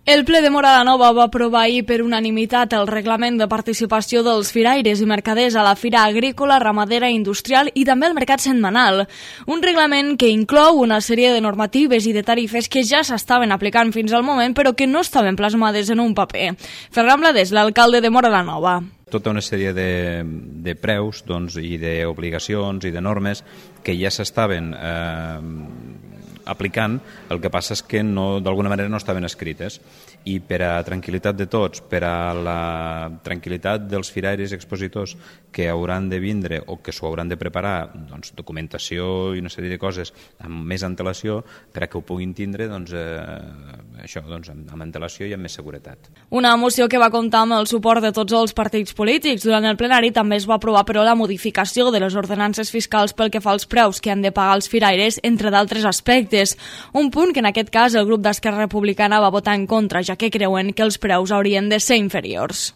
El ple de Móra la Nova va aprovar ahir per unanimitat el reglament de participació dels firaires i mercaders a la Fira Agrícola, Ramadera i Industrial i també al Mercat Setmanal. Un reglament que inclou una sèrie de normatives i de tarifes que ja s'estaven aplicant fins al moment però que no estaven plasmades en un paper. Ferran Blades, l'alcalde de Móra la Nova. Tota una sèrie de preus i d'obligacions i de normes que ja s'estaven aplicant, el que passa és que d'alguna manera no estaven escrites, i per a tranquil·litat de tots, per a la tranquil·litat dels firaires i expositors que hauran de vindre o que s'ho hauran de preparar, documentació i una sèrie de coses amb més antelació, per a que ho puguin tindre amb antelació i amb més seguretat. Una moció que va comptar amb el suport de tots els partits polítics. Durant el plenari també es va aprovar, però, la modificació de les ordenances fiscals pel que fa als preus que han de pagar els firaires, entre d'altres aspectes. Un punt que en aquest cas el grup d'Esquerra Republicana va votar en contra, ja que creuen que els preus haurien de ser inferiors.